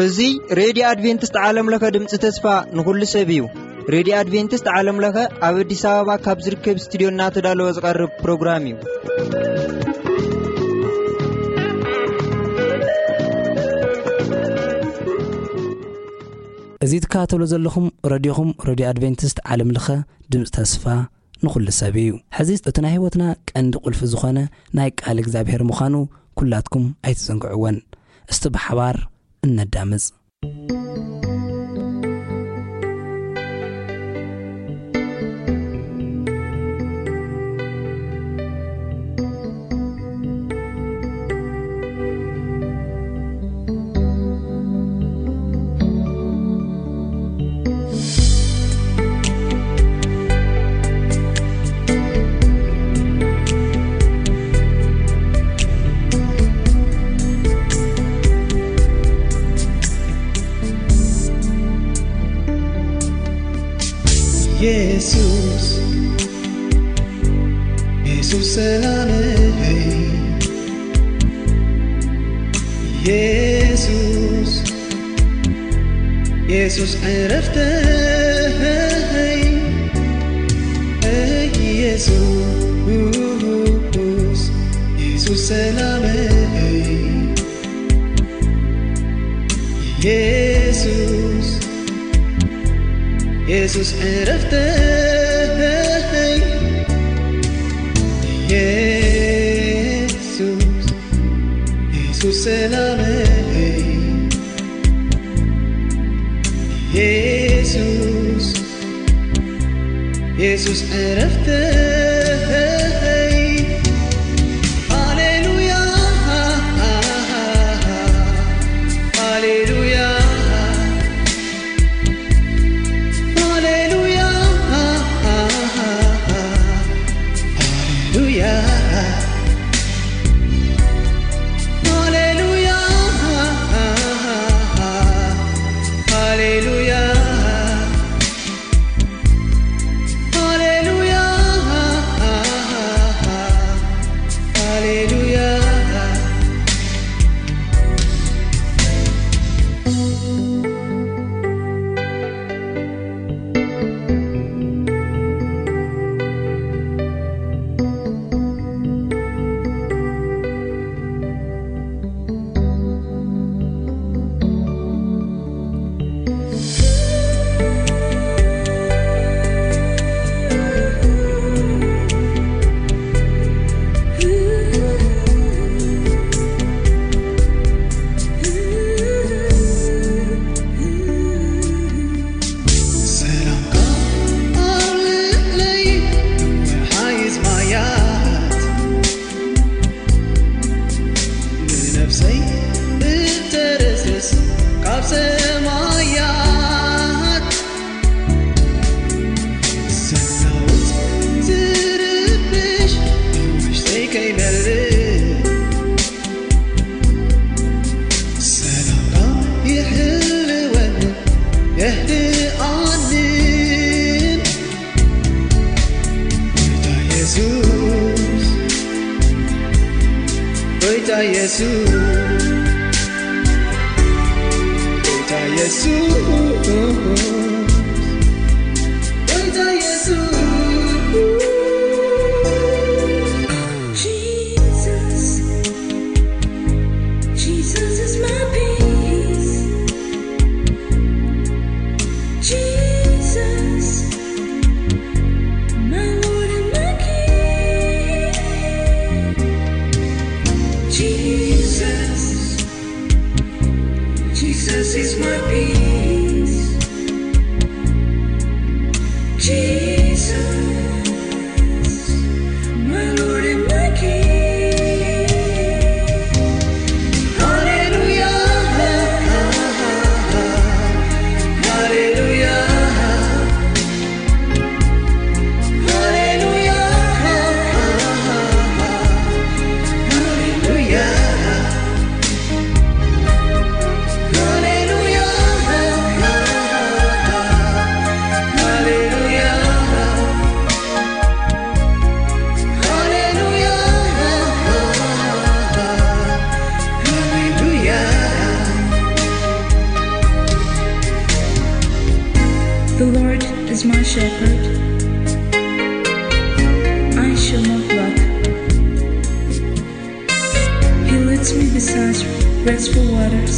እዚ ሬድዮ ኣድቬንቲስት ዓለም ለኸ ድምፂ ተስፋ ንኹሉ ሰብ እዩ። ሬድዮ ኣድቬንቲስት ዓለም ለኸ ኣብ ኣዲስ ኣበባ ካብ ዝርከብ ስቱዲዮ እናተዳለወ ዝቐርብ ፕሮግራም እዩ። እዚ ትከታተሉ ዘለኹም ረድዮኹም፣ ረድዮ ኣድቬንቲስት ዓለም ለኸ ድምፂ ተስፋ ንኹሉ ሰብ እዩ። ሕዚ እቲ ናይ ህይወትና ቀንዲ ቁልፊ ዝኾነ ናይ ቃል እግዚኣብሔር ምዃኑ ኩላትኩም ኣይትዘንግዕወን። እስቲ ብሓባር እነዳምፅ። ኢየሱስ፣ ኢየሱስ ሰላመይ፣ ኢየሱስ፣ ኢየሱስ ዕረፍተይ፣ ኢየሱስ፣ ኢየሱስ ሰላመይ፣ ኢየሱስ፣ ኢየሱስ ዕረፍተይ፣ ኢየሱስ፣ ኢየሱስ ሰላመይ፣ ኢየሱስ፣ ኢየሱስ ዕረፍተይ። ሃሌሉያ፣ ሃሌሉያ፣ ሃሌሉያ፣ ሃሌሉያ፣ ሃሌሉያ፣ ሃሌሉያ። ሃሌሉያ፣ ሃሌሉያ። ሰላምካ ኣብ ልዕለይ፣ ሓይዝ ማያት ንነፍሰይ እተረስርስ ካብ ሰማያት፣ ዘናውጽ ዝርብሽ ኣብ ውሽጠይ ከይመልእ፣ ሰላምካ ይሕልወኒ የህድኣንን። ጎይታ የሱስ፣ ጎይታ የሱስ፣ ጎይታ የሱስ፣ ጎይታ የሱስ። Jesus, Jesus is my peace. Jesus, my Lord and my King. Jesus, Jesus is my peace. Jesus, my Lord and my King. Hallelujah, hallelujah, hallelujah, hallelujah. Hallelujah, hallelujah. is my shepherd. I shall not lack. He leads me beside restful waters.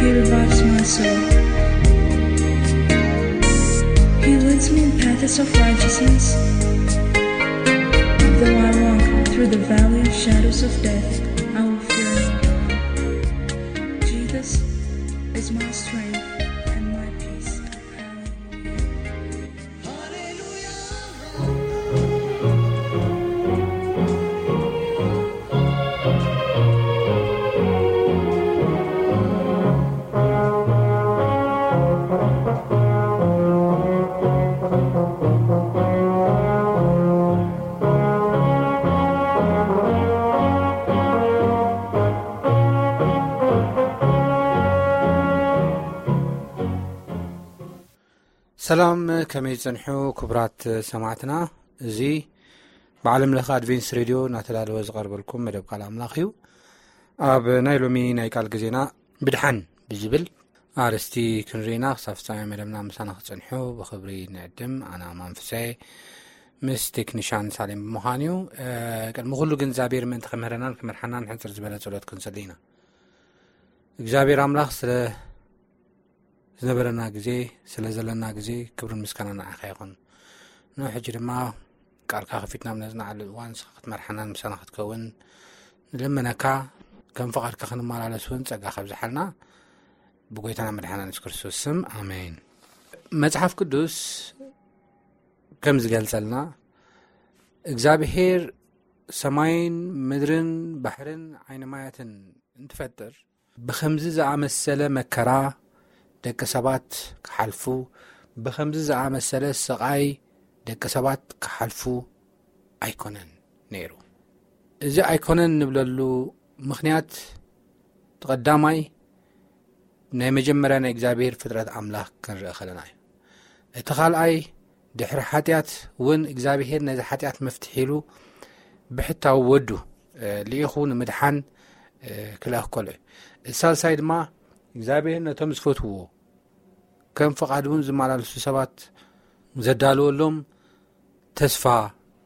He revives my soul. He leads me in paths of righteousness. Though I walk through the valley of shadows of death, I will fear no evil. Jesus is my strength and my peace. Hallelujah. ሰላም፣ ከመይ ጸንሑ ክቡራት ሰማዕትና? እዚ ብዓለም ለኸ ኣድቬንስ ሬድዮ እናተዳለወ ዝቐርበልኩም መደብ ቃል ኣምላኽ እዩ። ኣብ ናይ ሎሚ ናይ ቃል ግዜና ብድሓን ብዝብል ኣርእስቲ ክንርኢና ክሳብ ፍጻሜ መደብና ምሳና ክጸንሑ ብኽብሪ ንዕድም። ኣና ማንፍሰ ምስ ቴክኒሻን ሳሌም ብምዃን እዩ። እ፣ ቅድሚ ኩሉ ግን እግዚኣብሔር ምእንቲ ክምህረናን ክመርሓናን ሕጽር ዝበለ ጸሎት ክንጽሊ ኢና። እግዚኣብሔር ኣምላኽ ስለ ዝነበረና ግዜ፣ ስለ ዘለና ግዜ ክብርን ምስጋና ንዓኻ ይኹን። ንሕጂ ድማ ቃልካ ከፊትና ኣብ ነጽንዓሉ እዋን ንስኻ ክትመርሓናን ምሳና ክትከውን ንልምነካ። ከም ፍቓድካ ክንመላለስ እውን ጸጋ ከብዝሓልና ብጎይታና መድሓና የሱስ ክርስቶስ ስም ኣሜን። መጽሓፍ ቅዱስ ከም ዝገልጸልና እግዚኣብሔር ሰማይን ምድርን ባሕርን ዓይኒ ማያትን እንትፈጥር ብኸምዚ ዝኣመሰለ መከራ ደቂ ሰባት ክሓልፉ፣ ብኸምዚ ዝኣመሰለ ስቓይ ደቂ ሰባት ክሓልፉ ኣይኮነን ነይሩ። እዚ ኣይኮነን እንብለሉ ምኽንያት እቲ ቀዳማይ ናይ መጀመርያ ናይ እግዚኣብሔር ፍጥረት ኣምላኽ ክንርኢ ከለና እዩ። እቲ ካልኣይ ድሕሪ ሓጢኣት እውን እግዚኣብሔር ነዚ ሓጢኣት መፍትሒ ኢሉ ብሕታዊ ወዱ፣ እ፣ ልኢኹ ንምድሓን፣ እ፣ ክልኣኽ ከሎ እዩ። እቲ ሳልሳይ ድማ እግዚኣብሔር ነቶም ዝፈትውዎ ከም ፍቓዱ እውን ዝመላለሱ ሰባት ዘዳለወሎም ተስፋ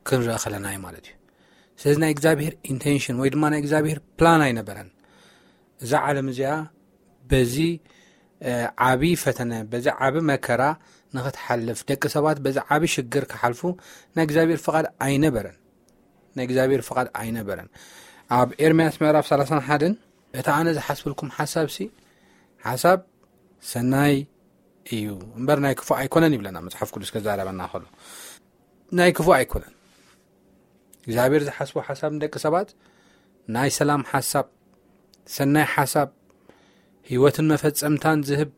ክንርኢ ከለና እዩ ማለት እዩ። ስለዚ ናይ እግዚኣብሔር ኢንቴንሽን ወይ ድማ ናይ እግዚኣብሔር ፕላን ኣይነበረን። እዛ ዓለም እዚኣ በዚ፣ እ፣ ዓቢ ፈተነ፣ በዚ ዓቢ መከራ ንኽትሓልፍ፣ ደቂ ሰባት በዚ ዓቢ ሽግር ክሓልፉ ናይ እግዚኣብሔር ፍቓድ ኣይነበረን። ናይ እግዚኣብሔር ፍቓድ ኣይነበረን። ኣብ ኤርምያስ ምዕራፍ ሰላሳን ሓደን "እቲ ኣነ ዝሓስብልኩም ሓሳብሲ ሓሳብ ሰናይ እዩ እምበር ናይ ክፉእ ኣይኮነን" ይብለና መጽሓፍ ቅዱስ ከዛረበና ከሎ። ናይ ክፉእ ኣይኮነን። እግዚኣብሔር ዝሓስቦ ሓሳብ ንደቂ ሰባት ናይ ሰላም ሓሳብ፣ ሰናይ ሓሳብ፣ ህይወትን መፈጸምታን ዝህብ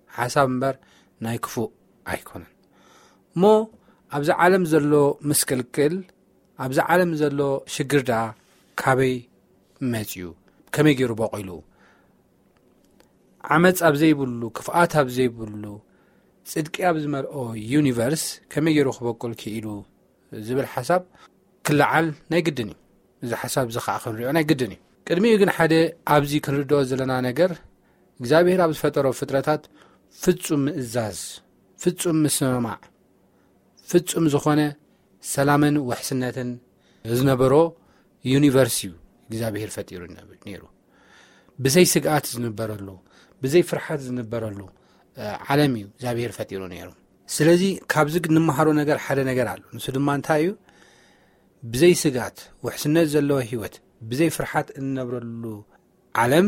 ሓሳብ እምበር ናይ ክፉእ ኣይኮነን። እሞ ኣብዚ ዓለም ዘሎ ምስቅልቅል፣ ኣብዚ ዓለም ዘሎ ሽግር ደኣ ካበይ መጺኡ? ከመይ ገይሩ በቂሉ? ዓመጽ ኣብ ዘይብሉ፣ ክፍኣት ኣብ ዘይብሉ፣ ጽድቂ ኣብ ዝመልኦ ዩኒቨርስ ከመይ ገይሩ ክበቁል ክኢሉ ዝብል ሓሳብ ክለዓል ናይ ግድን እዩ። እዚ ሓሳብ እዚ ኸዓ ክንሪኦ ናይ ግድን እዩ። ቅድሚኡ ግን ሓደ ኣብዚ ክንርድኦ ዘለና ነገር፣ እግዚኣብሔር ኣብ ዝፈጠሮ ፍጥረታት ፍጹም ምእዛዝ፣ ፍጹም ምስምማዕ፣ ፍጹም ዝኾነ ሰላምን ውሕስነትን ዝነበሮ ዩኒቨርስ እዩ እግዚኣብሔር ፈጢሩ ነብ-፣ ነይሩ። ብዘይ ስግኣት ዝንበረሉ፣ ብዘይ ፍርሓት ዝንበረሉ፣ እ፣ ዓለም እዩ እግዚኣብሔር ፈጢሩ ነይሩ። ስለዚ ካብዚ እንመሃሮ ነገር ሓደ ነገር ኣሎ። ንሱ ድማ እንታይ እዩ? ብዘይ ስግኣት ውሕስነት ዘለዎ ህይወት፣ ብዘይ ፍርሓት እንነብረሉ ዓለም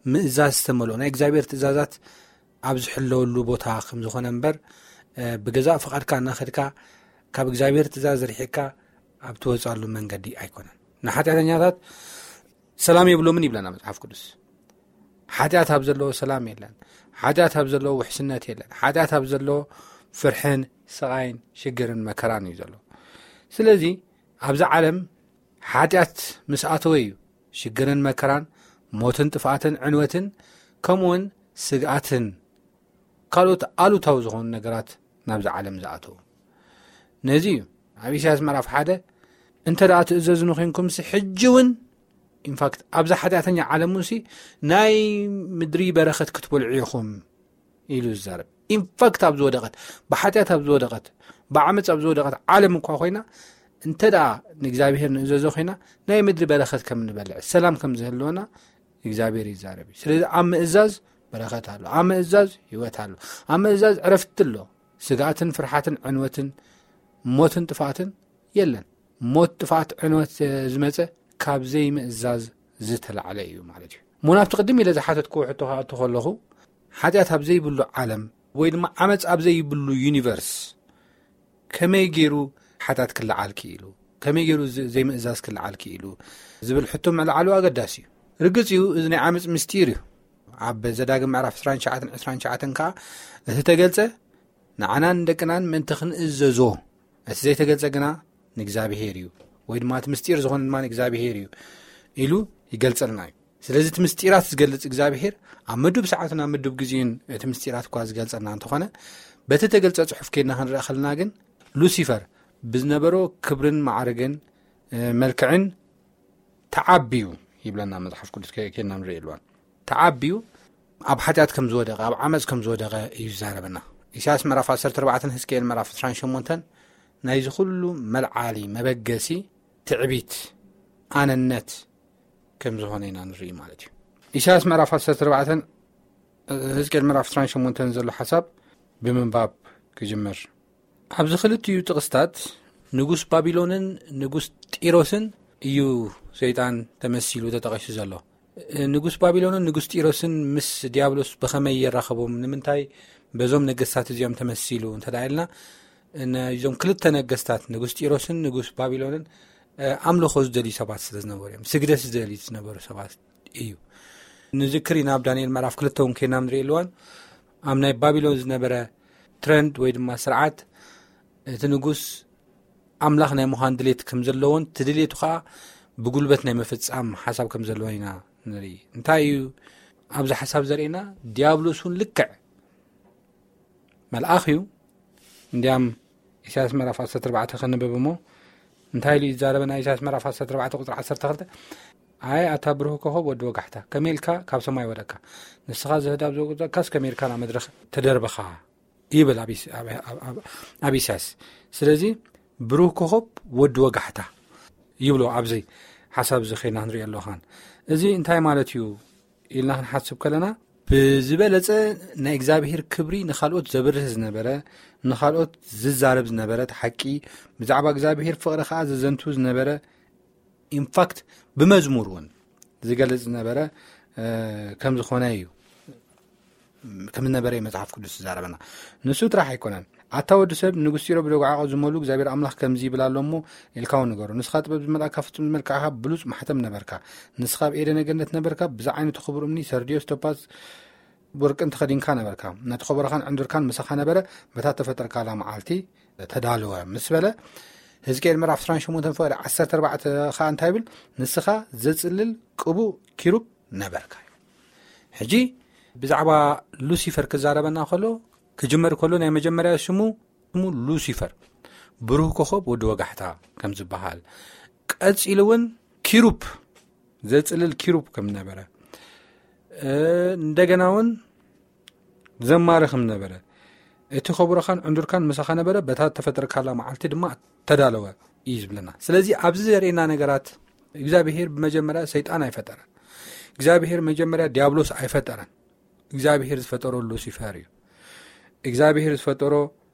ምእዛዝ ዝተመልኦ ናይ እግዚኣብሔር ትእዛዛት ኣብ ዝሕለወሉ ቦታ ከም ዝኾነ እምበር፣ እ፣ ብገዛእ ፍቓድካ እናኸድካ ካብ እግዚኣብሔር ትእዛዝ ርሒቕካ ኣብ ትወፅኣሉ መንገዲ ኣይኮነን። ንሓጢኣተኛታት ሰላም የብሎምን ይብለና መጽሓፍ ቅዱስ። ሓጢኣት ኣብ ዘለዎ ሰላም የለን። ሓጢኣት ኣብ ዘለዎ ውሕስነት የለን። ሓጢኣት ኣብ ዘለዎ ፍርሕን ስቓይን ሽግርን መከራን እዩ ዘሎ። ስለዚ ኣብዚ ዓለም ሓጢኣት ምስ ኣተወ እዩ ሽግርን መከራን፣ ሞትን ጥፍኣትን ዕንወትን፣ ከምኡውን ስግኣትን ካልኦት ኣሉታዊ ዝኾኑ ነገራት ናብዚ ዓለም ዝኣተዉ። ነዚ እዩ ኣብ ኢሳያስ ምዕራፍ ሓደ፣ "እንተ ደኣ ትእዘዙኒ ኮንኩምሲ፣ ሕጂ እውን፣ ኢንፋክት፣ ኣብዛ ሓጢኣተኛ ዓለም ውሲ ናይ ምድሪ በረኸት ክትበልዑ ኢኹም" ኢሉ ዝዛረብ። ኢንፋክት ኣብ ዝወደቐት፣ ብሓጢኣት ኣብ ዝወደቐት፣ ብዓመፅ ኣብ ዝወደቐት ዓለም እኳ ኮይና፣ እንተ ደኣ ንእግዚኣብሔር ንእዘዞ ኮይና፣ ናይ ምድሪ በረኸት ከም ንበልዕ፣ ሰላም ከም ዝህልወና እግዚኣብሔር ይዛረብ እዩ። ስለዚ ኣብ ምእዛዝ በረኸት ኣሎ፣ ኣብ ምእዛዝ ህይወት ኣሎ፣ ኣብ ምእዛዝ ዕረፍቲ ኣሎ። ስግኣትን ፍርሓትን ዕንወትን ሞትን ጥፍኣትን የለን። ሞት፣ ጥፍኣት፣ ዕንወት ዝመፀ ካብ ዘይምእዛዝ ዝተላዕለ እዩ ማለት እዩ። እሞ ናብቲ ቅድም ኢለ ዝሓተትክዎ ሕቶ ክኣቱ ከለኹ፣ ሓጢኣት ኣብ ዘይብሉ ዓለም ወይ ድማ ዓመፅ ኣብ ዘይብሉ ዩኒቨርስ ከመይ ገይሩ ሓጢኣት ክለዓል ክኢሉ፣ ከመይ ገይሩ ዝ-፣ ዘይምእዛዝ ክለዓል ክኢሉ ዝብል ሕቶ ምልዓሉ ኣገዳሲ እዩ። ርግፅ እዩ፣ እዚ ናይ ዓመፅ ምስጢር እዩ። ኣብ ዘዳግም ምዕራፍ ዕስራን ትሽዓተን፣ ዕስራን ትሽዓተን ከዓ እቲ ተገልጸ ንዓናን ንደቅናን ምእንቲ ክንእዘዞ፣ እቲ ዘይተገልጸ ግና ንእግዚኣብሔር እዩ፣ ወይ ድማ እቲ ምስጢር ዝኾነ ድማ ንእግዚኣብሔር እዩ ኢሉ ይገልጸልና እዩ። ስለዚ እቲ ምስጢራት ዝገልጽ እግዚኣብሔር ኣብ ምዱብ ሰዓትን ኣብ ምዱብ ግዜን እቲ ምስጢራት እኳ ዝገልጸልና እንተኾነ፣ በቲ ተገልጸ ጽሑፍ ኬድና ክንርኢ ከለና ግን ሉሲፈር ብዝነበሮ ክብርን ማዕርግን፣ እ፣ መልክዕን ተዓብዩ ይብለና መጽሓፍ ቅዱስ። ከ-፣ ኬድና ንርኢ ኣለዋን። ተዓብዩ ኣብ ሓጢኣት ከም ዝወደቐ፣ ኣብ ዓመፅ ከም ዝወደቐ እዩ ዝዛረበና። ኢሳያስ ምዕራፍ ዓሰርተ ኣርባዕተን ህዝቅኤል ምዕራፍ ዕስራን ሸሞንተን ናይዚ ኩሉ መልዓሊ፣ መበገሲ፣ ትዕቢት፣ ኣነነት ከም ዝኾነ ኢና ንርኢ ማለት እዩ። ኢሳያስ ምዕራፍ ዓሰርተ ኣርባዕተን ህዝቅኤል ምዕራፍ ዕስራን ሸሞንተን ዘሎ ሓሳብ ብምንባብ ክጅምር። ኣብዚ ክልቲኡ ጥቕስታት ንጉስ ባቢሎንን ንጉስ ጢሮስን እዩ ሰይጣን ተመሲሉ ተጠቒሱ ዘሎ። ንጉስ ባቢሎንን ንጉስ ጢሮስን ምስ ዲያብሎስ ብኸመይ የራኸቦም? ንምንታይ በዞም ነገስታት እዚኦም ተመሲሉ እንተ ደኣ ኢልና፣ እዞም ክልተ ነገስታት፣ ንጉስ ጢሮስን ንጉስ ባቢሎንን፣ እ፣ ኣምልኾ ዝደልዩ ሰባት ስለ ዝነበሩ እዮም። ስግደት ዝደልዩ ዝነበሩ ሰባት እዩ። ንዝክር ኢና፣ ኣብ ዳንኤል ምዕራፍ ክልተ እውን ኬድና ንርኢ ኣለዋን፣ ኣብ ናይ ባቢሎን ዝነበረ ትረንድ ወይ ድማ ስርዓት፣ እቲ ንጉስ ኣምላኽ ናይ ምዃን ድሌት ከም ዘለዎን፣ እቲ ድሌቱ ኸዓ ብጉልበት ናይ ምፍጻም ሓሳብ ከም ዘለዎን ኢና ንርኢ። እንታይ እዩ ኣብዚ ሓሳብ ዘርእየና? ዲያብሎስ እውን ልክዕ መልኣኽ እዩ። እንዲያም ኢሳያስ ምዕራፍ ዓሰርተ ኣርባዕተ ከንብብ እሞ፣ እንታይ ኢሉ ይዛረበና? ኢሳያስ ምዕራፍ ዓሰርተ ኣርባዕተ ቁጽሪ ዓሰርተ ክልተ፣ "ኣይ ኣታ ብሩህ ኮኸብ ወዲ ወጋሕታ፣ ከመይ ኢልካ ካብ ሰማይ ወደቅካ? ንስኻ ዘህዳብ ዘውቀጥካስ ከመይ ኢልካ ናብ መድረኽ ተደርበኻ?" ይብል ኣብ ኢስ-፣ ኣብ፣ ኣብ፣ ኣብ፣ ኣብ ኢሳያስ። ስለዚ ብሩህ ኮኸብ ወዲ ወጋሕታ ይብሎ ኣብዚ ሓሳብ እዚ ኸይና ክንሪኦ ኣለኻን። እዚ እንታይ ማለት እዩ ኢልና ክንሓስብ ከለና፣ ብዝበለጸ ናይ እግዚኣብሔር ክብሪ ንኻልኦት ዘብርህ ዝነበረ፣ ንኻልኦት ዝዛረብ ዝነበረ፣ እቲ ሓቂ ብዛዕባ እግዚኣብሔር ፍቕሪ ኸዓ ዘዘንቱ ዝነበረ፣ ኢንፋክት ብመዝሙር እውን ዝገልጽ ዝነበረ፣ እ፣ ከም ዝኾነ እዩ፣ ከም ዝነበረ እዩ መጽሓፍ ቅዱስ ዝዛረበና። ንሱ ጥራሕ ኣይኮነን። "ኣታ ወዲ ሰብ፣ ንጉስ ጢሮ ብደጉዓቆ ዝመሉ እግዚኣብሔር ኣምላኽ ከምዚ ይብል ኣሎ እሞ፣ ኢልካ እውን ንገሮ። ንስኻ ጥበብ ዝመልኣካ ፍጹም ዝመልክዓኻ ብሉጽ ማሕተም ነበርካ። ንስኻ ኣብ ኤደነ ገነት ነበርካ፣ ብዛ ዓይነት ክቡር እምኒ፣ ሰርድዮስ፣ ቶጳዝ፣ ወርቅን ተኸዲንካ ነበርካ። ነቲ ከበሮኻን ዕንዱርካን ምሳኻ ነበረ፣ በታ ተፈጠርካላ መዓልቲ ተዳለወ" ምስ በለ፣ ህዝቅኤል ምዕራፍ ዕስራን ሸሞንተን ፍቕዲ ዓሰርተ ኣርባዕተ ኸኣ እንታይ ይብል? "ንስኻ ዘጽልል ቅቡእ ኪሩብ ነበርካ" እዩ። ሕጂ ብዛዕባ ሉሲፈር ክዛረበና ከሎ፣ ክጅመር ከሎ፣ ናይ መጀመርያ ስሙ፣ ስሙ ሉሲፈር፣ ብሩህ ኮኸብ ወዲ ወጋሕታ ከም ዝበሃል፣ ቀጺሉ እውን ኪሩብ፣ ዘጽልል ኪሩብ ከም ነበረ፣ እ፣ እንደገና እውን ዘማሪ ከም ነበረ፣ "እቲ ከብሮኻን ዕንዱርካን ምሳኻ ነበረ፣ በታ ተፈጠርካላ መዓልቲ ድማ ተዳለወ" እዩ ዝብለና። ስለዚ ኣብዚ ዘርእየና ነገራት፣ እግዚኣብሄር ብመጀመርያ ሰይጣን ኣይፈጠረን። እግዚኣብሄር መጀመርያ ዲያብሎስ ኣይፈጠረን። እግዚኣብሄር ዝፈጠሮ ሉሲፈር እዩ። እግዚኣብሄር ዝፈጠሮ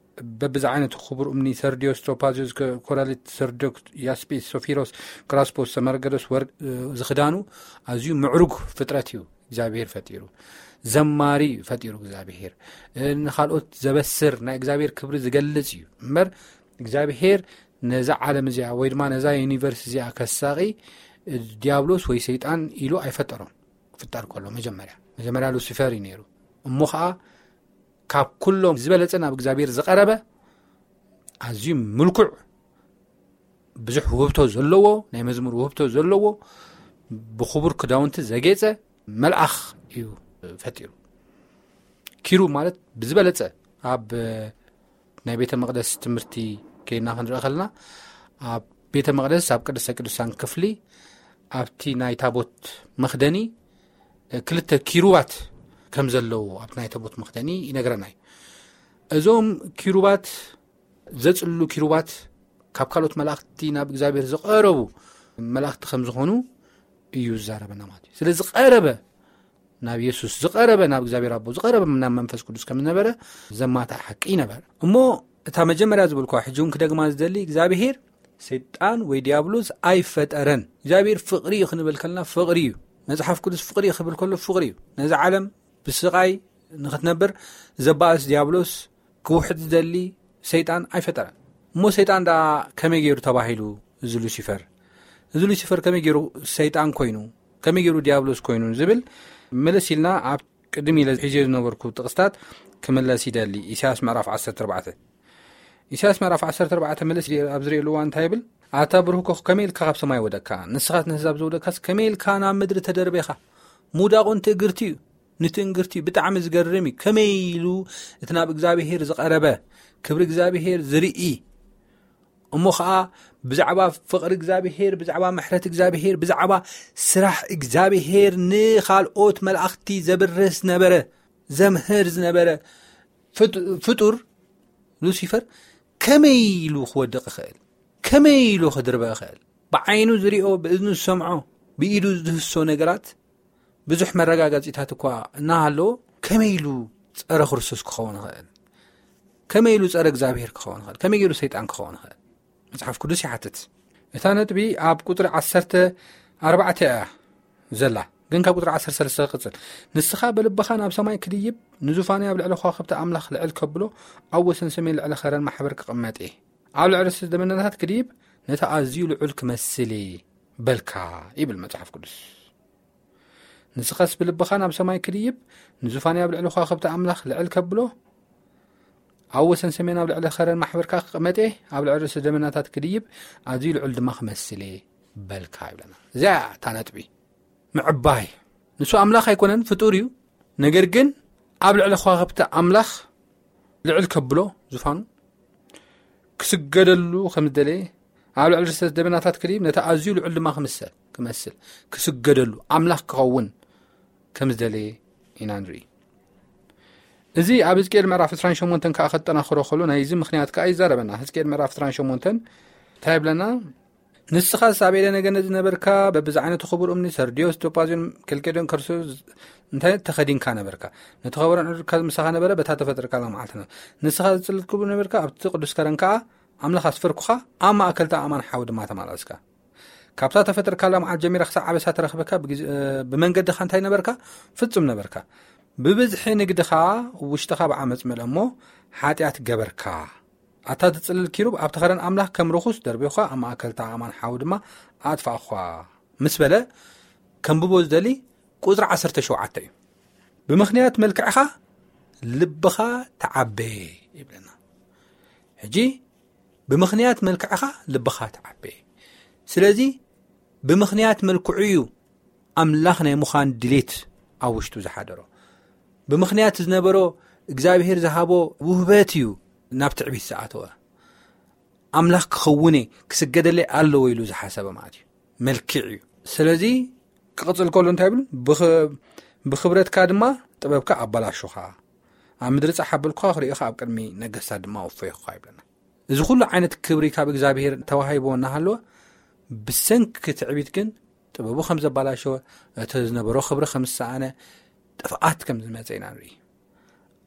በብዝዓይነቱ ክቡር እምኒ፣ ሰርድዮስ፣ ቶፓዝዮስ፣ ኮ-፣ ኮራሊት፣ ሰርዶክ፣ ያስጲስ፣ ሶፊሮስ፣ ክራስፖስ፣ ሰመርገዶስ፣ ወርቅ፣ እ፣ ዝኽዳኑ ኣዝዩ ምዕሩግ ፍጥረት እዩ እግዚኣብሄር ፈጢሩ። ዘማሪ እዩ ፈጢሩ እግዚኣብሄር። እ፣ ንኻልኦት ዘበስር፣ ናይ እግዚኣብሄር ክብሪ ዝገልጽ እዩ። እምበር እግዚኣብሄር ነዛ ዓለም እዚኣ ወይ ድማ ነዛ ዩኒቨርስ እዚኣ ከሳቒ፣ እ፣ ዲያብሎስ ወይ ሰይጣን ኢሉ ኣይፈጠሮም። ክፍጠር ከሎ መጀመርያ፣ መጀመርያ ሉሲፈር እዩ ነይሩ። እሞ ኸዓ ካብ ኩሎም ዝበለጸ ናብ እግዚኣብሔር ዝቐረበ፣ ኣዝዩ ምልኩዕ፣ ብዙሕ ውህብቶ ዘለዎ፣ ናይ መዝሙር ውህብቶ ዘለዎ፣ ብኽቡር ክዳውንቲ ዘጌጸ መልኣኽ እዩ ፈጢሩ። ኪሩብ ማለት ብዝበለጸ ኣብ ናይ ቤተ መቕደስ ትምህርቲ ከይና ክንርኢ ከለና፣ ኣብ ቤተ መቕደስ፣ ኣብ ቅድስተ ቅዱሳን ክፍሊ፣ ኣብቲ ናይ ታቦት መኽደኒ፣ ክልተ ኪሩባት ከም ዘለዉ ኣብ ናይ ታቦት መኽደኒ ይነግረና እዩ። እዞም ኪሩባት ዘጽልሉ ኪሩባት ካብ ካልኦት መላእኽቲ ናብ እግዚኣብሔር ዝቐረቡ መላእኽቲ ከም ዝኾኑ እዩ ዝዛረበና ማለት እዩ። ስለ ዝቐረበ ናብ የሱስ ዝቐረበ፣ ናብ እግዚኣብሔር ኣቦ ዝቐረበ፣ ናብ መንፈስ ቅዱስ ከም ዝነበረ ዘማታ ሓቂ ይነበረ። እሞ እታ መጀመርያ ዝበልኳ ሕጂ እውን ክደግማ ዝደሊ፣ እግዚኣብሔር ሰይጣን ወይ ዲያብሎስ ኣይፈጠረን። እግዚኣብሔር ፍቕሪ እዩ ክንብል ከልና ፍቕሪ እዩ። መጽሓፍ ቅዱስ ፍቕሪ እዩ ክብል ከሎ ፍቕሪ እዩ። ነዚ ዓለም ብስቓይ ንኽትነብር ዘባእስ ዲያብሎስ ክውሕድ ዝደሊ ሰይጣን ኣይፈጠረን። እሞ ሰይጣን ደኣ ከመይ ገይሩ ተባሂሉ? እዚ ሉሲፈር፣ እዚ ሉሲፈር ከመይ ገይሩ ሰይጣን ኮይኑ፣ ከመይ ገይሩ ዲያብሎስ ኮይኑ ዝብል መለስ ኢልና ኣብ ቅድም ኢለ ሒዝዮ ዝነበርኩ ጥቕስታት ክምለስ ይደሊ። ኢሳያስ ምዕራፍ ዓሰርተ ኣርባዕተ፣ ኢሳያስ ምዕራፍ ዓሰርተ ኣርባዕተ መለስ ኢለ ኣብ ዝርእየሉ እዋን እንታይ ይብል? ኣታ ብርሁኮ ከመይ ኢልካ ካብ ሰማይ ወደካ? ንስኻት ነህዛብ ዘውደካስ ከመይ ኢልካ ናብ ምድሪ ተደርቤኻ? ምውዳቑ ንትእግርቲ እዩ፣ ንትእንግርቲ እዩ። ብጣዕሚ ዝገርም እዩ። ከመይ ኢሉ እቲ ናብ እግዚኣብሔር ዝቐረበ፣ ክብሪ እግዚኣብሔር ዝርኢ፣ እሞ ኸዓ ብዛዕባ ፍቕሪ እግዚኣብሔር፣ ብዛዕባ ምሕረት እግዚኣብሔር፣ ብዛዕባ ስራሕ እግዚኣብሔር ንኻልኦት መላእኽቲ ዘብርህ ዝነበረ፣ ዘምህር ዝነበረ ፍጡ-፣ ፍጡር ሉሲፈር ከመይ ኢሉ ክወድቕ ይኽእል? ከመይ ኢሉ ክድርበ ይኽእል? ብዓይኑ ዝሪኦ፣ ብእዝኑ ዝሰምዖ፣ ብኢዱ ዝድህሶ ነገራት ብዙሕ መረጋገጺታት እኳ እናሃለዎ ከመይ ኢሉ ጸረ ክርስቶስ ክኸውን ይኽእል? ከመይ ኢሉ ጸረ እግዚኣብሔር ክኸውን ይኽእል? ከመይ ገይሩ ሰይጣን ክኸውን ይኽእል? መጽሓፍ ቅዱስ ይሓትት። እታ ነጥቢ ኣብ ቁጽሪ ዓሰርተ ኣርባዕተ እያ ዘላ፣ ግን ካብ ቁጽሪ ዓሰርተ ሰለስተ ክቕጽል። ንስኻ ብልብኻ ናብ ሰማይ ክድይብ፣ ንዙፋንይ ኣብ ልዕሊ ከዋኽብቲ ኣምላኽ ልዕል ከብሎ፣ ኣብ ወሰን ሰሜን ልዕሊ ኸረን ማሕበር ክቕመጥ እየ። ኣብ ልዕሊ ደመናታት ክድይብ፣ ነቲ ኣዝዩ ልዑል ክመስል እየ በልካ ይብል መጽሓፍ ቅዱስ። ንስኻስ ብልብኻ ናብ ሰማይ ክድይብ፣ ንዙፋንይ ኣብ ልዕሊ ከዋኽብቲ ኣምላኽ ልዕል ከብሎ፣ ኣብ ወሰን ሰሜን ኣብ ልዕሊ ኸረን ማሕበርካ ክቕመጥ እየ፣ ኣብ ልዕሊ ርእሲ ደመናታት ክድይብ፣ ኣዝዩ ልዑል ድማ ክመስል እየ በልካ ይብለና። እዚኣ እታ ነጥቢ ምዕባይ። ንሱ ኣምላኽ ኣይኮነን፣ ፍጡር እዩ። ነገር ግን ኣብ ልዕሊ ከዋኽብቲ ኣምላኽ ልዕል ከብሎ፣ ዙፋኑ ክስገደሉ ከም ዝደለየ፣ ኣብ ልዕሊ ርእሰ ደመናታት ክድይብ፣ ነቲ ኣዝዩ ልዑል ድማ ክምሰል፣ ክመስል፣ ክስገደሉ፣ ኣምላኽ ክኸውን ከም ዝደለየ ኢና ንርኢ። እዚ ኣብ ሕዝቅኤል ምዕራፍ ዕስራን ሸሞንተን ከኣ ከጠናኽሮ ከሎ፣ ናይዚ ምኽንያት ከኣ ይዛረበና። ሕዝቅኤል ምዕራፍ ዕስራን ሸሞንተን እንታይ ይብለና? ንስኻስ ኣብ ኤደነ ገነት ዝነበርካ፣ በብዝዓይነቱ ክቡር እምኒ፣ ሰርድዮስ፣ ቶጳዝዮን ከልቄዶን ከርሱ እንታይ ተኸዲንካ ነበርካ? ነቲ ኸበሮን ዕርድካ ምሳኻ ነበረ፣ በታ ተፈጥርካላ መዓልቲ ነበረ። ንስኻ ዝጽልት ክቡር ነበርካ፣ ኣብቲ ቅዱስ ከረን ከኣ ኣምላኽ ኣስፈርኩኻ፣ ኣብ ማእከልታ ኣእማን ሓዊ ድማ ተማላስካ። ካብታ ተፈጥርካላ መዓልቲ ጀሚራ ክሳዕ ኣበሳ ተረኽበካ፣ ብግዜ-፣ እ፣ ብመንገድኻ እንታይ ነበርካ? ፍጹም ነበርካ። ብብዝሒ ንግድኻ ውሽጥኻ ብዓመጽ መልአ እሞ፣ ሓጢኣት ገበርካ። ኣታ ትጽልል ኪሩብ፣ ኣብቲ ኸረን ኣምላኽ ከም ርኹስ ደርቢኹኻ፣ ኣብ ማእከልታ ኣእማን ሓዊ ድማ ኣጥፋእኹኻ ምስ በለ፣ ከንብቦ ዝደሊ ቁጽሪ ዓሰርተ ሸውዓተ እዩ። ብምኽንያት መልክዕኻ ልብኻ ተዓበየ ይብለና። ሕጂ ብምኽንያት መልክዕኻ ልብኻ ተዓበየ። ስለዚ ብምኽንያት መልክዑ እዩ ኣምላኽ ናይ ምዃን ድሌት ኣብ ውሽጡ ዝሓደሮ። ብምኽንያት ዝነበሮ እግዚኣብሔር ዝሃቦ ውህበት እዩ ናብ ትዕቢት ዝኣተወ። ኣምላኽ ክኸውን እየ፣ ክስገደለይ ኣለዎ ኢሉ ዝሓሰበ ማለት እዩ። መልክዕ እዩ። ስለዚ ክቕጽል ከሎ እንታይ ይብል? ብኽ-፣ ብኽብረትካ ድማ ጥበብካ ኣባላሹኻ፣ ኣብ ምድሪ ጻሕ ኣበልኩኻ፣ ክርእኻ ኣብ ቅድሚ ነገስታት ድማ ወፈይኹኻ ይብለና። እዚ ኩሉ ዓይነት ክብሪ ካብ እግዚኣብሔር ተዋሂቦ እናሃለወ፣ ብሰንኪ ትዕቢት ግን ጥበቡ ከም ዘባላሸወ፣ እቲ ዝነበሮ ክብሪ ከም ዝሰኣነ፣ ጥፍኣት ከም ዝመጸ ኢና ንርኢ።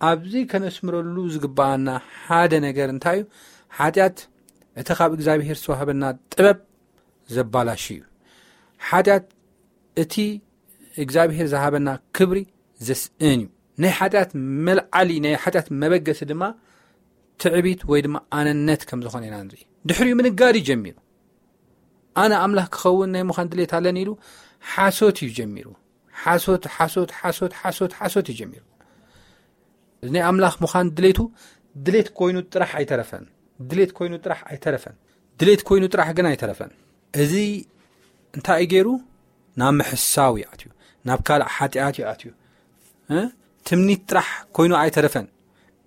ኣብዚ ከነስምረሉ ዝግባኣና ሓደ ነገር እንታይ እዩ? ሓጢኣት እቲ ካብ እግዚኣብሔር ዝተዋህበና ጥበብ ዘባላሽ እዩ። ሓጢኣት እቲ እግዚኣብሔር ዝሃበና ክብሪ ዘስእን እዩ። ናይ ሓጢኣት መልዓሊ፣ ናይ ሓጢኣት መበገሲ ድማ ትዕቢት ወይ ድማ ኣነነት ከም ዝኾነ ኢና ንርኢ። ድሕሪኡ ምንጋር እዩ ጀሚሩ። ኣነ ኣምላኽ ክኸውን ናይ ምዃን ድሌት ኣለኒ ኢሉ ሓሶት እዩ ጀሚሩ። ሓሶት፣ ሓሶት፣ ሓሶት፣ ሓሶት፣ ሓሶት እዩ ጀሚሩ። እዚ ናይ ኣምላኽ ምዃን ድሌቱ፣ ድሌት ኮይኑ ጥራሕ ኣይተረፈን። ድሌት ኮይኑ ጥራሕ ኣይተረፈን። ድሌት ኮይኑ ጥራሕ ግን ኣይተረፈን። እዚ እንታይ እዩ ገይሩ? ናብ ምሕሳው እዩ ኣትዩ። ናብ ካልእ ሓጢኣት እዩ ኣትዩ። እ? ትምኒት ጥራሕ ኮይኑ ኣይተረፈን።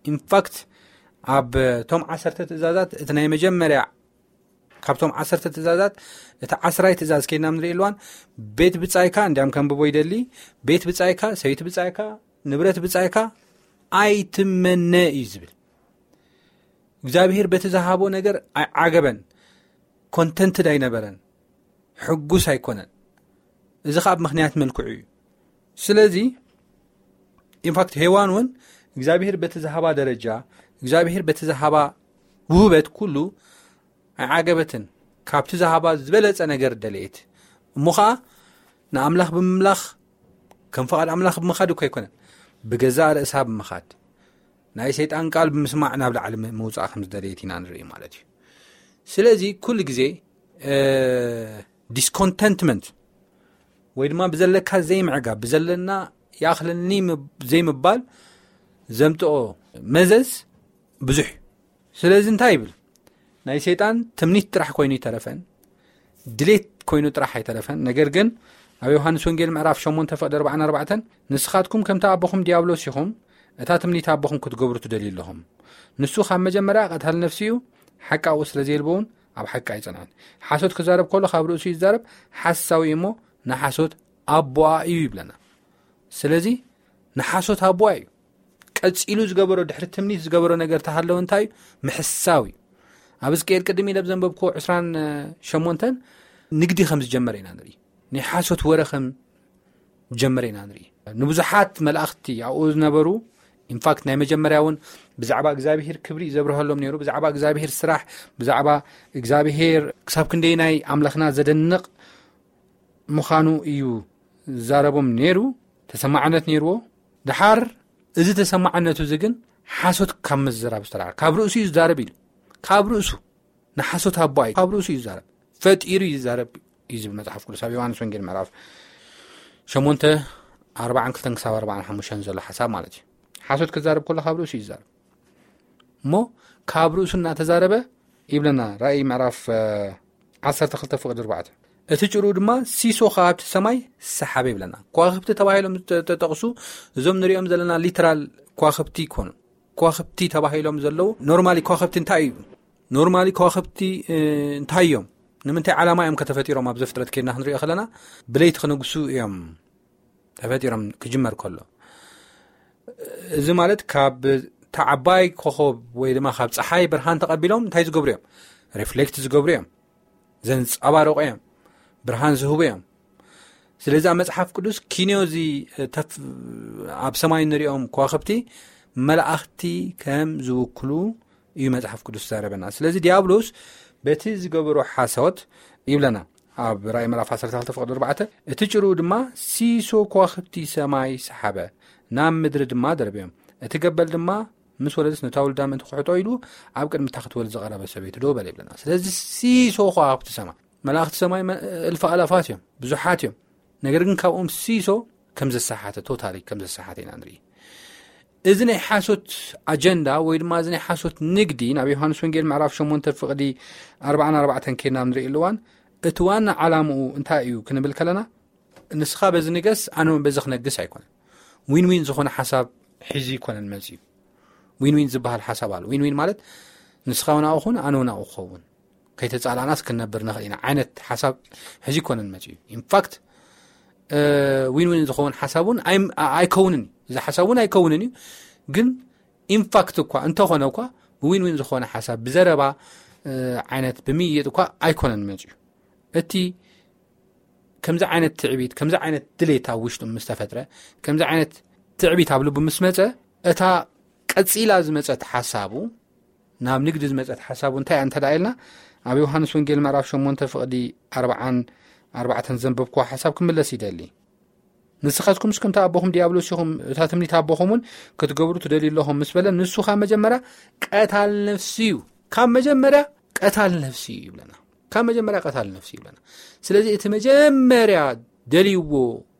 ኢንፋክት፣ ኣብ ቶም ዓሰርተ ትእዛዛት፣ እቲ ናይ መጀመርያ ካብቶም ዓሰርተ ትእዛዛት፣ እቲ ዓስራይ ትእዛዝ ከይድና ንርኢ ኣለዋን፣ ቤት ብጻይካ፣ እንዲያም ከንብቦ ይደሊ፣ ቤት ብጻይካ፣ ሰይቲ ብጻይካ፣ ንብረት ብጻይካ ኣይትመነ እዩ ዝብል። እግዚኣብሔር በቲ ዝሃቦ ነገር ኣይዓገበን፣ ኮንተንትድ ኣይነበረን፣ ሕጉስ ኣይኮነን። እዚ ኸዓ ብምኽንያት መልክዑ እዩ። ስለዚ ኢንፋክት ሄዋን እውን እግዚኣብሔር በቲ ዝሃባ ደረጃ፣ እግዚኣብሔር በቲ ዝሃባ ውህበት ኩሉ ኣይዓገበትን። ካብቲ ዝሃባ ዝበለጸ ነገር ደለየት። እሞ ኸዓ ንኣምላኽ ብምምላኽ፣ ከም ፍቓድ ኣምላኽ ብምኻድ እኮ ኣይኮነን፣ ብገዛእ ርእሳ ብምኻድ፣ ናይ ሰይጣን ቃል ብምስማዕ ናብ ላዕሊ ምውፃእ ከም ዝደለየት ኢና ንርኢ ማለት እዩ። ስለዚ ኩሉ ግዜ ዲስኮንተንትመንት ወይ ድማ ብዘለካ ዘይምዕጋብ፣ ብዘለና ይኣኽለኒ ዘይምባል ዘምጥኦ መዘዝ ብዙሕ እዩ። ስለዚ እንታይ ይብል? ናይ ሰይጣን ትምኒት ጥራሕ ኮይኑ ይተረፈን፣ ድሌት ኮይኑ ጥራሕ ኣይተረፈን። ነገር ግን ኣብ ዮሃንስ ወንጌል ምዕራፍ ሸሞንተ ፍቕዲ ኣርባዓን ኣርባዕተን፣ ንስኻትኩም ከምቲ ኣቦኹም ዲያብሎስ ኢኹም፣ እታ ትምኒት ኣቦኹም ክትገብሩ ትደልዩ ኣለኹም። ንሱ ካብ መጀመርያ ቀታሊ ነፍሲ እዩ፣ ሓቂ ኣብኡ ስለ ዘየልቦ እውን ኣብ ሓቂ ኣይጸንዐን። ሓሶት ክዛረብ ከሎ ካብ ርእሱ እዩ ዝዛረብ፣ ሓሳዊ እዩ እሞ ንሓሶት ኣቦኣ እዩ ይብለና። ስለዚ ንሓሶት ኣቦኣ እዩ። ቀጺሉ ዝገበሮ፣ ድሕሪ ትምኒት ዝገበሮ ነገር ተሃለወ እንታይ እዩ? ምሕሳው እዩ። ኣብ ሕዝቅኤል ቅድም ኢለ ብዘንበብክዎ ዕስራን ሸሞንተን ንግዲ ከም ዝጀመረ ኢና ንርኢ። ናይ ሓሶት ወረ ከም ዝጀመረ ኢና ንርኢ። ንብዙሓት መላእኽቲ ኣብኡ ዝነበሩ፣ ኢንፋክት ናይ መጀመርያ እውን ብዛዕባ እግዚኣብሔር ክብሪ ዘብርሃሎም ነይሩ፣ ብዛዕባ እግዚኣብሔር ስራሕ፣ ብዛዕባ እግዚኣብሔር ክሳብ ክንደይ ናይ ኣምላኽና ዘደንቕ ምዃኑ እዩ ዝዛረቦም ነይሩ፣ ተሰማዕነት ነይርዎ። ድሓር እዚ ተሰማዕነቱ እዚ ግን ሓሶት ካብ ምዝራብ ዝተላዕለ፣ ካብ ርእሱ እዩ ዝዛረብ ኢሉ፣ ካብ ርእሱ ንሓሶት ኣቦኣ እዩ፣ ካብ ርእሱ እዩ ዝዛረብ፣ ፈጢሩ እዩ ዝዛረብ እዩ ዝብል መጽሓፍ ቅዱስ ኣብ ዮሃንስ ወንጌል ምዕራፍ ሸሞንተ ኣርባዓን ክልተን ክሳብ ኣርባዓን ሓሙሽተን ዘሎ ሓሳብ ማለት እዩ። ሓሶት ክዛረብ ከሎ ካብ ርእሱ እዩ ዝዛረብ። እሞ ካብ ርእሱ እናተዛረበ ይብለና ራእይ ምዕራፍ እ፣ ዓሰርተ ክልተ ፍቕዲ ኣርባዕተ። እቲ ጭሩ ድማ ሲሶ ካብቲ ሰማይ ሰሓበ ይብለና። ከዋኽብቲ ተባሂሎም ዝተጠቕሱ እዞም ንሪኦም ዘለና ሊትራል ከዋኽብቲ ይኮኑ። ከዋኽብቲ ተባሂሎም ዘለዉ ኖርማሊ ከዋኽብቲ እንታይ እዩ? ኖርማሊ ከዋኽብቲ እ፣ እንታይ እዮም? ንምንታይ ዓላማ እዮም ከተፈጢሮም? ኣብ ዘፍጥረት ከይድና ክንሪኦ ከለና ብለይቲ ክነግሱ እዮም ተፈጢሮም ክጅመር ከሎ። እዚ ማለት ካብ እታ ዓባይ ኮኸብ ወይ ድማ ካብ ፀሓይ ብርሃን ተቐቢሎም እንታይ ዝገብሩ እዮም? ሪፍሌክት ዝገብሩ እዮም፣ ዘንፀባርቑ እዮም፣ ብርሃን ዝህቡ እዮም። ስለዚ ኣብ መጽሓፍ ቅዱስ ኪንዮ እዚ ተፍ-፣ ኣብ ሰማይ እንሪኦም ከዋኽብቲ መላእኽቲ ከም ዝውክሉ እዩ መጽሓፍ ቅዱስ ዘረበና። ስለዚ ዲያብሎስ በቲ ዝገበሮ ሓሶት ይብለና ኣብ ራእይ ምዕራፍ ዓሰርተ ክልተ ፍቕዲ ኣርባዕተ፣ እቲ ጭሩ ድማ ሲሶ ከዋኽብቲ ሰማይ ሰሓበ፣ ናብ ምድሪ ድማ ደርብዮም። እቲ ገበል ድማ ምስ ወለደስ ነታ ውልዳ ምእንቲ ክሕጦ ኢሉ ኣብ ቅድሚ እታ ክትወልድ ዝቐረበ ሰበይቲ ደው በለ ይብለና። ስለዚ ሲሶ ከዋኽብቲ ሰማይ፣ መላእኽቲ ሰማይ መ-፣ እልፊ ኣላፋት እዮም፣ ብዙሓት እዮም። ነገር ግን ካብኦም ሲሶ ከም ዘሰሓተ፣ ቶታሊ ከም ዘሰሓተ ኢና ንርኢ። እዚ ናይ ሓሶት ኣጀንዳ ወይ ድማ እዚ ናይ ሓሶት ንግዲ ናብ ዮሃንስ ወንጌል ምዕራፍ ሸሞንተ ፍቕዲ ኣርባዓን ኣርባዕተን ከይድና ንርኢ ኣለዋን፣ እቲ ዋና ዓላምኡ እንታይ እዩ ክንብል ከለና፣ ንስኻ በዚ ንገስ ኣነ እውን በዚ ክነግስ ኣይኮነን። ዊን ዊን ዝኾነ ሓሳብ ሒዙ ይኮነን መፅዩ። ዊን ዊን ዝበሃል ሓሳብ ኣሎ። ዊን ዊን ማለት ንስኻ እውን ኣብኡ ኩን ኣነ እውን ኣብኡ ክኸውን፣ ከይተፃላእናስ ክንነብር ንኽእል ኢና ዓይነት ሓሳብ ሕዚ ይኮነን መፅዩ። ኢንፋክት እ፣ ዊን ዊን ዝኸውን ሓሳብ እውን ኣይ-፣ ኣ-፣ ኣይከውንን እዩ። እዚ ሓሳብ እውን ኣይከውንን እዩ። ግን ኢንፋክት እኳ እንተኾነ እኳ ብዊን ዊን ዝኾነ ሓሳብ ብዘረባ እ፣ ዓይነት ብምይይጥ እኳ ኣይኮነን መፅዩ። እቲ ከምዚ ዓይነት ትዕቢት፣ ከምዚ ዓይነት ድሌት ኣብ ውሽጡ ምስ ተፈጥረ፣ ከምዚ ዓይነት ትዕቢት ኣብ ልቡ ምስ መፀ፣ እታ ቀፂላ ዝመፀት ሓሳቡ፣ ናብ ንግዲ ዝመፀት ሓሳቡ እንታይ እያ እንተ ደኣ ኢልና፣ ኣብ ዮሃንስ ወንጌል ምዕራፍ ሸሞንተ ፍቕዲ ኣርባዓን ኣርባዕተን ዘንበብክዋ ሓሳብ ክምለስ ይደሊ። ንስኻትኩምስ ከምቲ ኣቦኹም ዲያብሎስ ኢኹም፣ እታ ትምኒት ኣቦኹም እውን ክትገብሩ ትደልዩ ኣለኹም ምስ በለ፣ ንሱ ካብ መጀመርያ ቀታል ነፍሲ እዩ። ካብ መጀመርያ ቀታል ነፍሲ እዩ ይብለና። ካብ መጀመርያ ቀታል ነፍሲ ይብለና። ስለዚ እቲ መጀመርያ ደልይዎ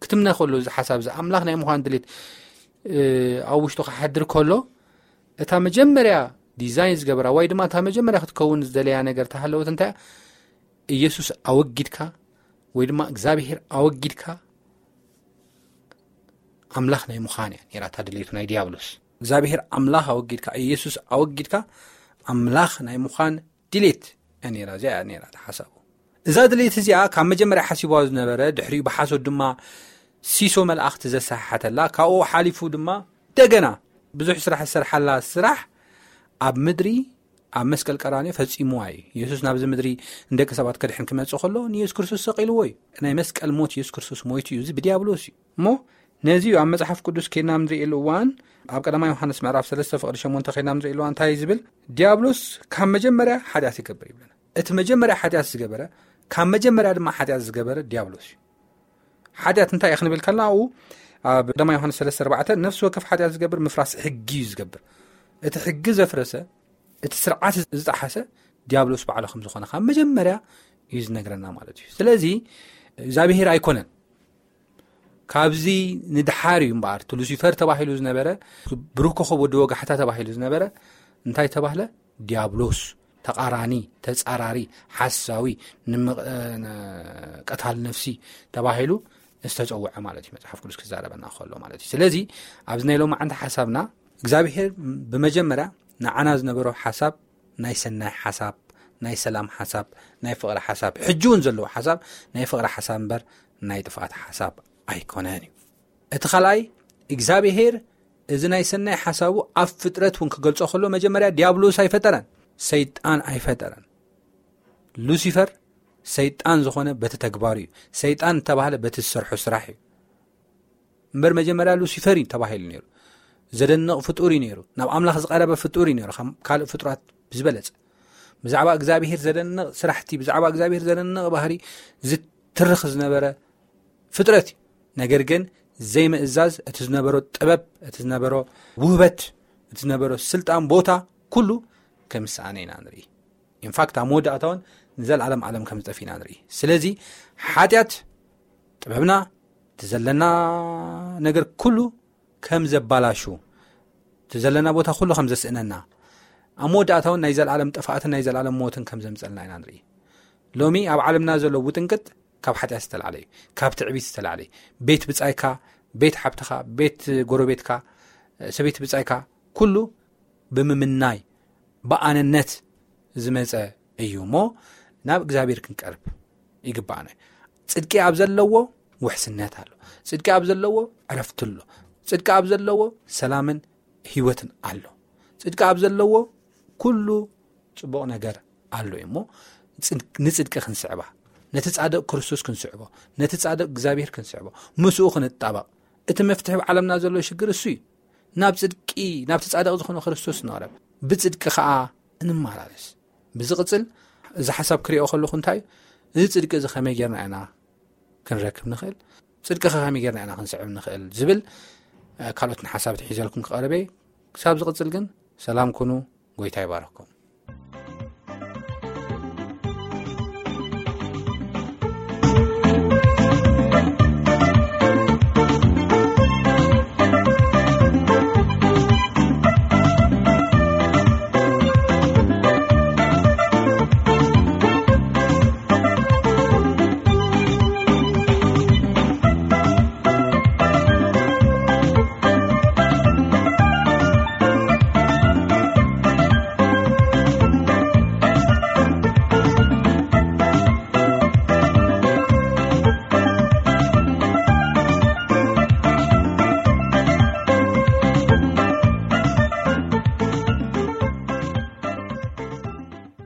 ክትምነ ከሎ፣ እዚ ሓሳብ እዚ ኣምላኽ ናይ ምዃን ድሌት እ፣ ኣብ ውሽጡ ክሓድር ከሎ፣ እታ መጀመርያ ዲዛይን ዝገበራ ወይ ድማ እታ መጀመርያ ክትከውን ዝደለያ ነገር ተሃለወት እንታይ እያ? ኢየሱስ ኣወጊድካ ወይ ድማ እግዚኣብሔር ኣወጊድካ ኣምላኽ ናይ ምዃን እያ ነይራ እታ ድሌቱ ናይ ዲያብሎስ። እግዚኣብሔር ኣምላኽ ኣወጊድካ፣ ኢየሱስ ኣወጊድካ ኣምላኽ ናይ ምዃን ድሌት እያ ነይራ። እዚኣ እያ ነይራ እታ ሓሳቡ። እዛ ድሌት እዚኣ ካብ መጀመርያ ሓሲቧ ዝነበረ፣ ድሕሪኡ ብሓሶት ድማ ሲሶ መላእኽቲ ዘሰሓሓተላ፣ ካብኡ ሓሊፉ ድማ ደገና ብዙሕ ስራሕ ዝሰርሓላ ስራሕ ኣብ ምድሪ ኣብ መስቀል ቀራንዮ ፈጺምዋ እዩ። የሱስ ናብዚ ምድሪ ንደቂ ሰባት ከድሕን ክመጽእ ከሎ ንየሱስ ክርስቶስ ሰቒልዎ እዩ። ናይ መስቀል ሞት የሱስ ክርስቶስ ሞይቱ እዩ። እዚ ብዲያብሎስ እዩ። እሞ ነዚ እዩ ኣብ መጽሓፍ ቅዱስ ኬድና ንርእየሉ እዋን፣ ኣብ ቀዳማይ ዮሃንስ ምዕራፍ ሰለስተ ፍቕዲ ሸሞንተ ኬድና ንርእየሉ እዋን እንታይ እዩ ዝብል? ዲያብሎስ ካብ መጀመርያ ሓጢኣት ይገብር ይብለና። እቲ መጀመርያ ሓጢኣት ዝገበረ፣ ካብ መጀመርያ ድማ ሓጢኣት ዝገበረ ዲያብሎስ እዩ። ሓጢኣት እንታይ እዩ ክንብል ከለና፣ ኣብኡ ኣብ ቀዳማይ ዮሃንስ ሰለስተ ኣርባዕተ፣ ነፍሲ ወከፍ ሓጢኣት ዝገብር ምፍራስ ሕጊ እዩ ዝገብር። እቲ ሕጊ ዘፍረሰ፣ እቲ ስርዓት ዝጠሓሰ ዲያብሎስ ባዕሉ ከም ዝኾነ ካብ መጀመርያ እዩ ዝነግረና ማለት እዩ። ስለዚ እግዚኣብሔር ኣይኮነን። ካብዚ ንድሓር እዩ እምበኣር፣ እቲ ሉሲፈር ተባሂሉ ዝነበረ፣ ብሩህ ኮኸብ ወዲ ወጋሕታ ተባሂሉ ዝነበረ እንታይ ተባህለ? ዲያብሎስ፣ ተቓራኒ፣ ተጻራሪ፣ ሓሳዊ፣ ንምቕ-፣ እ፣ ነ-፣ ቀታል ነፍሲ ተባሂሉ ዝተጸውዐ ማለት እዩ፣ መጽሓፍ ቅዱስ ክዛረበና ከሎ ማለት እዩ። ስለዚ ኣብዚ ናይ ሎማዓንቲ ሓሳብና እግዚኣብሔር ብመጀመርያ ንዓና ዝነበሮ ሓሳብ ናይ ሰናይ ሓሳብ፣ ናይ ሰላም ሓሳብ፣ ናይ ፍቕሪ ሓሳብ፣ ሕጂ እውን ዘለዎ ሓሳብ ናይ ፍቕሪ ሓሳብ እምበር ናይ ጥፍኣት ሓሳብ ኣይኮነን እዩ። እቲ ካልኣይ፣ እግዚኣብሔር እዚ ናይ ሰናይ ሓሳቡ ኣብ ፍጥረት እውን ክገልጾ ከሎ መጀመርያ ዲያብሎስ ኣይፈጠረን፣ ሰይጣን ኣይፈጠረን። ሉሲፈር ሰይጣን ዝኾነ በቲ ተግባሩ እዩ። ሰይጣን እተባህለ በቲ ዝሰርሖ ስራሕ እዩ። እምበር መጀመርያ ሉሲፈር እዩ ተባሂሉ ነይሩ። ዘደንቕ ፍጡር እዩ ነይሩ። ናብ ኣምላኽ ዝቐረበ ፍጡር እዩ ነይሩ፣ ካብ ካልእ ፍጡራት ብዝበለጸ። ብዛዕባ እግዚኣብሔር ዘደንቕ ስራሕቲ፣ ብዛዕባ እግዚኣብሔር ዘደንቕ ባህሪ ዝትርኽ ዝነበረ ፍጥረት እዩ። ነገር ግን ዘይምእዛዝ፣ እቲ ዝነበሮ ጥበብ፣ እቲ ዝነበሮ ውህበት፣ እቲ ዝነበሮ ስልጣን፣ ቦታ፣ ኩሉ ከም ዝሰኣነ ኢና ንርኢ። ኢንፋክት ኣብ መወዳእታ እውን ንዘለኣለም ዓለም ከም ዝጠፍ ኢና ንርኢ። ስለዚ ሓጢኣት ጥበብና፣ እቲ ዘለና ነገር ኩሉ ከም ዘባላሹ፣ እቲ ዘለና ቦታ ኩሉ ከም ዘስእነና፣ ኣብ መወዳእታ እውን ናይ ዘለኣለም ጥፍኣትን ናይ ዘለኣለም ሞትን ከም ዘምጸልና ኢና ንርኢ። ሎሚ ኣብ ዓለምና ዘሎ ውጥንቅጥ ካብ ሓጢኣት ዝተላዕለ እዩ፣ ካብ ትዕቢት ዝተላዕለ እዩ። ቤት ብጻይካ፣ ቤት ሓብትኻ፣ ቤት ጎረቤትካ፣ ሰበይቲ ብጻይካ፣ ኩሉ ብምምናይ፣ ብኣነነት ዝመጸ እዩ እሞ፣ ናብ እግዚኣብሔር ክንቀርብ ይግባእና። ጽድቂ ኣብ ዘለዎ ውሕስነት ኣሎ። ጽድቂ ኣብ ዘለዎ ዕረፍቲ ኣሎ። ጽድቂ ኣብ ዘለዎ ሰላምን ህይወትን ኣሎ። ጽድቂ ኣብ ዘለዎ ኩሉ ጽቡቕ ነገር ኣሎ እዩ እሞ፣ ጽድቅ-፣ ንጽድቂ ክንስዕባ፣ ነቲ ጻድቕ ክርስቶስ ክንስዕቦ፣ ነቲ ጻድቕ እግዚኣብሔር ክንስዕቦ፣ ምስኡ ክንጣበቕ። እቲ መፍትሒ ኣብ ዓለምና ዘሎ ሽግር እሱ እዩ። ናብ ጽድቂ፣ ናብቲ ጻድቕ ዝኾነ ክርስቶስ ንቕረብ፣ ብጽድቂ ኸኣ እንመላለስ። ብዝቕጽል፣ እዚ ሓሳብ ክሪኦ ከለኹ እንታይ እዩ፣ እዚ ጽድቂ እዚ ከመይ ጌርና ኢና ክንረክብ ንኽእል? ጽድቂ ኸ ከመይ ጌርና ኢና ክንስዕብ ንኽእል? ዝብል፣ እ፣ ካልኦትን ሓሳብ ሒዘልኩም ክቐርብ እየ። ክሳብ ዝቕጽል ግን ሰላም ኩኑ፣ ጎይታ ይባርኽኩም።